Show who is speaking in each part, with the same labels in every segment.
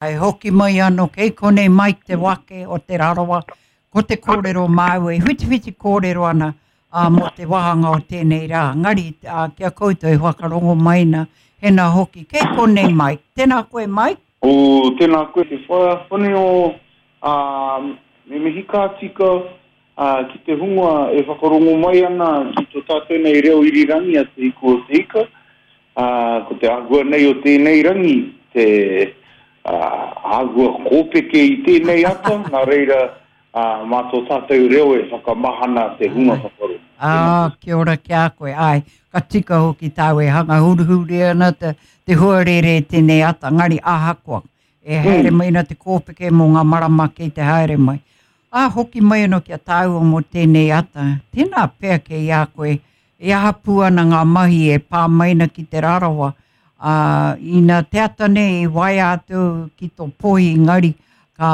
Speaker 1: Hei hoki mai anō kei konei Mike Te Wake o Te Rarawa, ko te kōrero māu e whitiwhiti kōrero ana ā, mō te wāhanga o tēnei rā. Ngari ā, ki a koutou e whakarongo mai na, hena hoki kei konei Mike. Tēnā koe Mike.
Speaker 2: O, tēnā koe te whaea whane o, ā, me mihi ka tika, ā, ki te hunga e whakarongo mai ana ki to tātou nei reo irirangi a Te Hiku o Te Ika, Ā, ko te āhua nei o tēnei rangi, te āhua kōpeke i tēnei ata, nā reira, ā, mā tō tātou reo e whakamahana te hunga whakarongo.
Speaker 1: Ā, kia ora ki a koe. Āe, ka tika hoki tāu e hanga huruhuru ana te, te huarere i tēnei ata, engari ahakoa, e haere mai ana te kōpeke mō ngā marama kei te haere mai. Ā, hoki mai anō ki a tāua mō tēnei ata, tēnā pea kei a koe E aha pū ana ngā mahi e pā mai ana ki Te Rarawa, ā, ina te ata nei i waea atu ki tō pohi engari ka,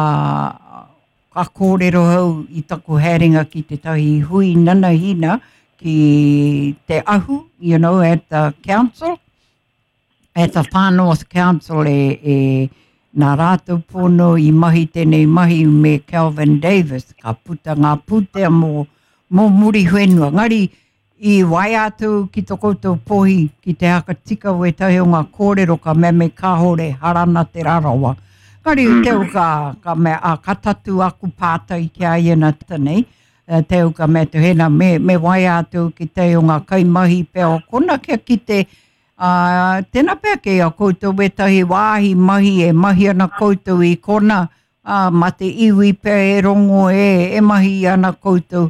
Speaker 1: ka kōrero au i taku haerenga ki tētahi hui nanahina ki Te Ahu, you know, at the council, at the Far North Council e, e nā rātou pono i mahi tēnei mahi me Kelvin Davis, ka puta ngā pūtea mō, mō Muriwhenua. Ngari, i waea atu ki to koutou pohi ki te haka tika wētahi o ngā kōrero ka mea me kāore harana Te Rarawa. Ngari, mm. teu ka, ka mea, a, ka tatu aku pātai ki a ia nā nei, teu ka mea te hena me, me waea atu ki te o ngā kaimahi pea o kona kia kite Ā, tēnā pea kei a koutou wētahi wāhi mahi e mahi ana koutou i kona, ā, mā te iwi pea e rongo e, e mahi ana koutou,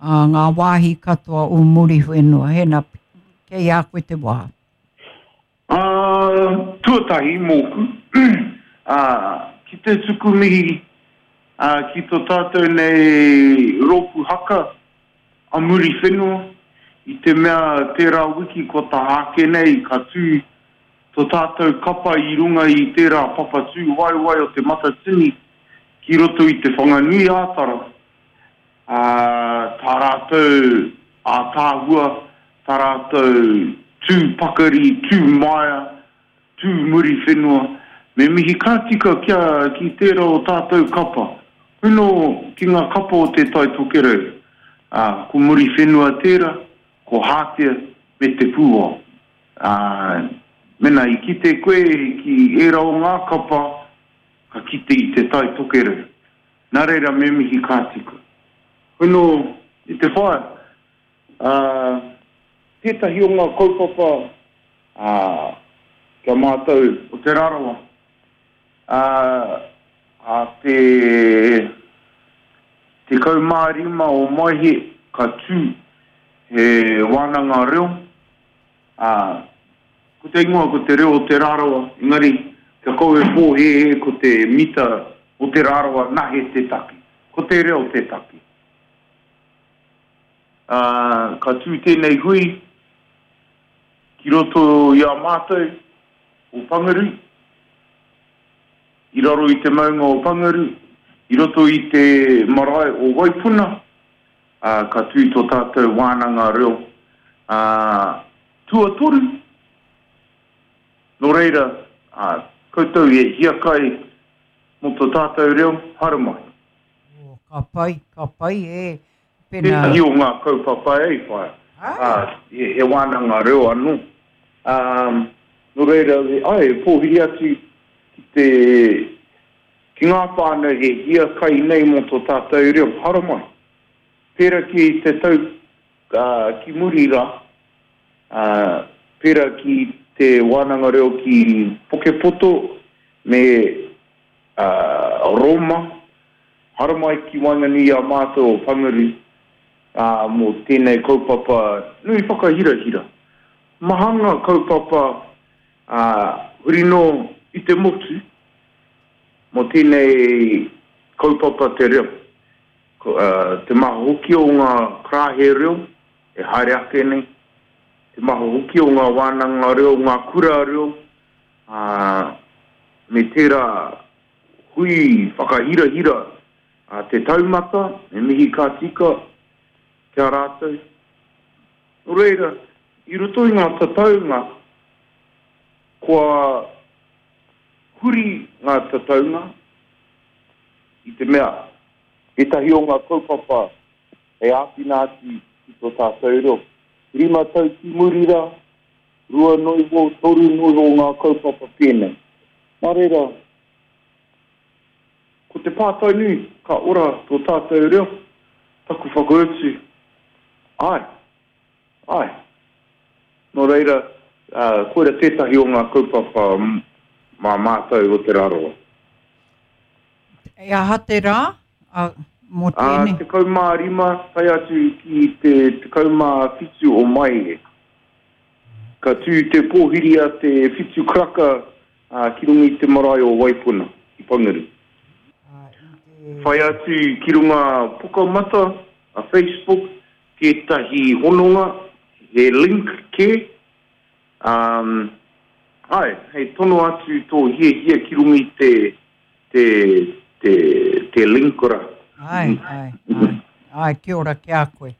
Speaker 1: ā, ngā wāhi katoa o Muriwhenua. Hēnā, kei a koe te wā.
Speaker 2: Ā, tuatahi mōku, ā, ki te tuku mihi, ā, ki to tātou nei rōpū haka, a Muriwhenua, i te mea tērā wiki kua taha ake nei ka tū to tātou kapa i runga i tērā papa tūwaewae o Te Matatini ki roto i Te Whanganui-ā-Tara, ā, tā rātou ātaahua, tā rātou tū pakari, tū maia, Tū Muriwhenua, me mihi ka tika kia ki tērā o tātou kapa. Hono ki ngā kapa o Te Tai Tokerau, ā, ko Muriwhenua tērā, ko Hātea me Te Pūao. Ā, mena i kite koe ki ērā o ngā kapa, ka kite i Te Tai Tokerau. Nā reira me mihi ka tika. Hono i te whaea, ā, tētahi o ngā kaupapa Ā, ki a mātou o Te Rarawa, ā, ā te 15 o Maehe ka tū he wānanga reo, ā, ko te ingoa ko Te Reo o Te Rarawa, engari kia kaua e pōhēhē ko te mita o Te Rarawa nahe te take, ko te reo te take. Ā, ka tū tēnei hui ki roto i a mātou o Pangaru, i raro i te maunga o Pangaru, i roto i te marae o Waipuna, ā, ka tū tō tātou wānanga reo, ā, tuatoru. Nō reira, ā, koutou e hiakai mō tō tātou reo, haere mai.
Speaker 1: Oh, ka pai, ka pai, e.
Speaker 2: Pena... Tētahi o ngā kaupapa e whai, ā, he wānanga reo anō. Ā, nō reira, āe, e pōhiri atu ki te, ki ngā whānau he hiakai nei mō tō tātou reo, haramai. Pērā ki te tau, ā, ki muri rā, ā, pērā ki te wānanga reo ki Pukepoto me, ā, Rōma, haramai ki waenganui i a mātou o Whangarei, ā, mō tēnei kaupapa nui whakahirahira. Maha ngā kaupapa, ā, huri noa i te motu mō tēnei kaupapa te reo. Ko, ā, te maha hoki o ngā karāhe reo e haere ake nei, te maha hoki o ngā wānanga reo, ngā kura reo, ā, me tērā hui whakahirahira a Te Taumata, me mihi ka tika ki a rātou. Nō reira, i roto i ngā tataunga, kua huri ngā tataunga i te mea ētahi o ngā kaupapa hei āwhina atu ki tō tātou reo. Rima tau ki muri rā, rua noiho, toru noiho ngā kaupapa pēnei. Nā reira, ko te pātai nui, ka ora tō tātou reo? Taku whakautu, āe. Āe. Nō reira, koira tētahi o ngā kaupapa mā mātou o Te Rarawa.
Speaker 1: E aha te rā mō tēnei?
Speaker 2: 15 tae atu ki te 17 o Maehe. Ka tū te pōhiri a te whitu karaka ki runga i te marae o Waipuna, ki Panguru. Whai atu ki runga Pukamata, a Facebook, tētahi hononga, he link kē, ā, āe, hei tono atu tō hiahia ki runga i te, te, te, te link rā.
Speaker 1: Āe, āe, āe, āe, kia ora ki a koe.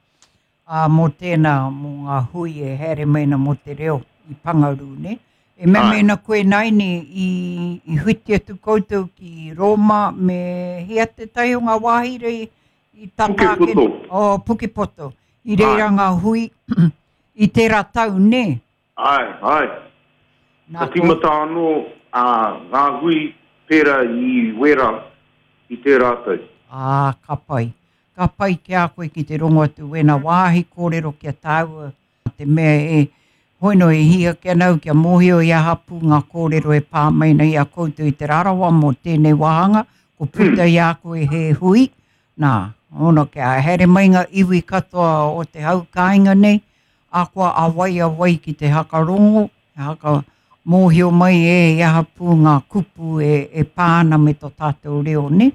Speaker 1: Ā, mō tēnā, mō ngā hui e haere mai ana mō te reo i Pangarū, nē? E mea mai ana koe nāiane i, i whiti atu koutou ki Rōma me hea tētahi o ngā wāhi rei i tata ake,
Speaker 2: Pukepoto.
Speaker 1: Oh, Pukepoto. I reira ngā hui i tērā tau, nē?
Speaker 2: Āe, āe.
Speaker 1: Nā,
Speaker 2: Ka tīmata anō ā, ngā hui pērā i Wēra i tērā tau.
Speaker 1: Ā, ka pai. Ka pai ki a koe ki te rongo atu wēnā wāhi kōrero ki a tāua te mea e hoi no e hī ake ana au kia mōhio i aha pū ngā kōrero e pā mai nei i a koutou i Te Rarawa mō tēnei wāhanga, ko puta i a koe he hui, nā, hono kia haere mai ngā iwi katoa o te hau kāinga nei, akoa a wai a wai ki te hakarongo, te haka mōhio mai e i aha pū ngā kupu e, e pā ana me tō tātou reo, nē?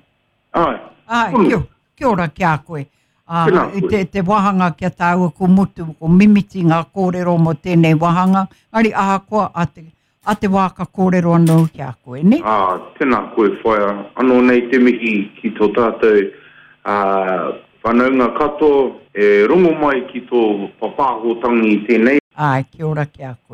Speaker 2: Āe.
Speaker 1: Āe,
Speaker 2: Tonu.
Speaker 1: kia, kia ora ki a koe. Ā,
Speaker 2: Tēnā
Speaker 1: i
Speaker 2: koe.
Speaker 1: te, te wāhanga ki a tāua ko mutu, ko mimiti ngā kōrero mō tēnei wāhanga, engari ahakoa a te, a te wā ka kōrero anō ki a koe, nē?
Speaker 2: Ā, tēnā koe whaea. Anō nei te mihi ki tō tātou, ā, whanaunga katoa e rongo mai ki tō papāhotanga i tēnei.
Speaker 1: Āe, kia ora ki a koe.